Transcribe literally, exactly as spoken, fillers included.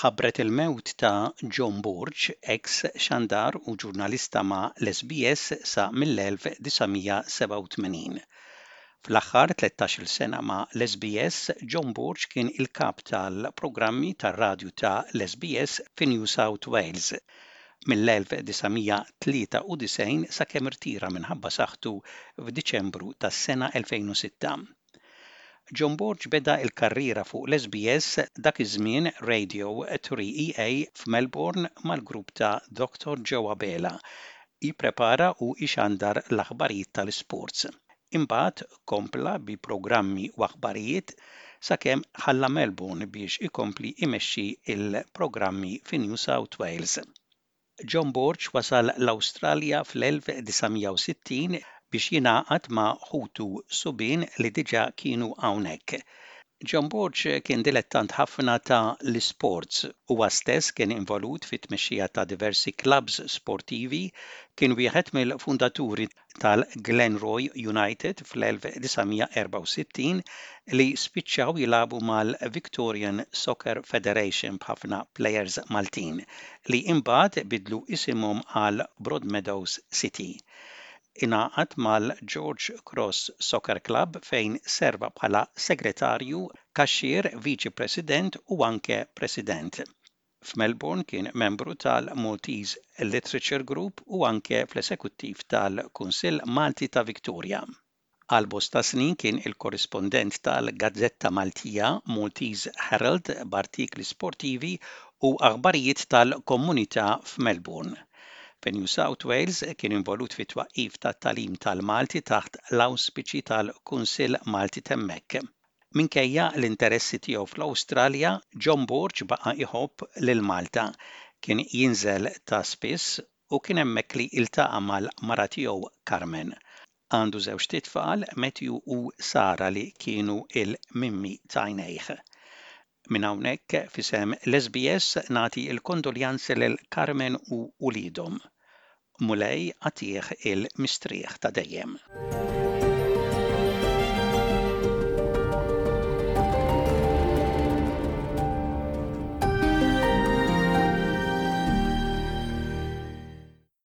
Tħabbret il-mewt ta' John Borg, ex xandar u ġurnalista ma' l-S B S sa mill-elf disa' mija sebgħa u tmenin. Fl-aħħar tlettax-il sena ma' l-S B S, John Borg kien il-kap tal-programmi tar-radju ta' l-S B S fi New South Wales mill-elf disa' mija tlieta u disgħin sakemm irtira minħabba saħħtu f'Diċembru tas-sena elfejn u sitta. John Borg beda il-karriera fuq l-S B S, dak iż-żmien Radio three E A, f'Melbourne mal-grupp ta' Doctor Joe Abela, jipprepara u jxandar l-aħbarijiet tal-sports. Imbagħad kompla bi programmi u aħbarijiet sakemm ħalla Melbourne biex ikompli imexxi il-programmi fi New South Wales. John Borg wasal l-Awstralja fl-elf disa' mija u sittin biex jingħaqad ma' ħutu subien li diġà kienu hawnhekk. John Borg kien dilettant ħafna ta' l-sports. Huwa stess kien involut fit-tmexxija ta' diversi clubs sportivi, kien wieħed mill-fundaturi tal-Glenroy United fl-elf disa' mija erbgħa u sittin li spiċċaw jilagħbu mal-Victorian Soccer Federation b'ħafna players Maltin li imbagħad bidlu isimhom għal Broadmeadows City. Ingħaqad mal-George Cross Soccer Club fejn serva bħala segretarju, kaxxier, viċi president u anke president. F'Melbourne kien membru tal-Maltese Literature Group u anke fl-esekuttiv tal-Kunsill Malti ta' Victoria. Għal bosta snin kien il-korrispondent tal-Gazzetta Maltija Maltese Herald b'artikli sportivi u aħbarijiet tal-komunità f'Melbourne. Fi New South Wales kien involut fi twaqqif tat-tagħlim tal-Malti taħt l-awspiċi tal-Kunsill Malti t'hemmhekk. Minkejja l-interessi tiegħu fl-Awstralja, John Borg baqa' iħobb lil Malta. Kien jinżel ta' spiss u kien hemmhekk li iltaqa' mal-mara tiegħu Carmen. Għandu żewġ tfal, Matthew u Sara, li kienu il-mimmi t'għajnejh. Minn hawnhekk, f'isem l-S B S, nagħti l-kondoljanzi lil Carmen u uliedhom. Mulej agħtih il-mistrieħ ta' dejjem.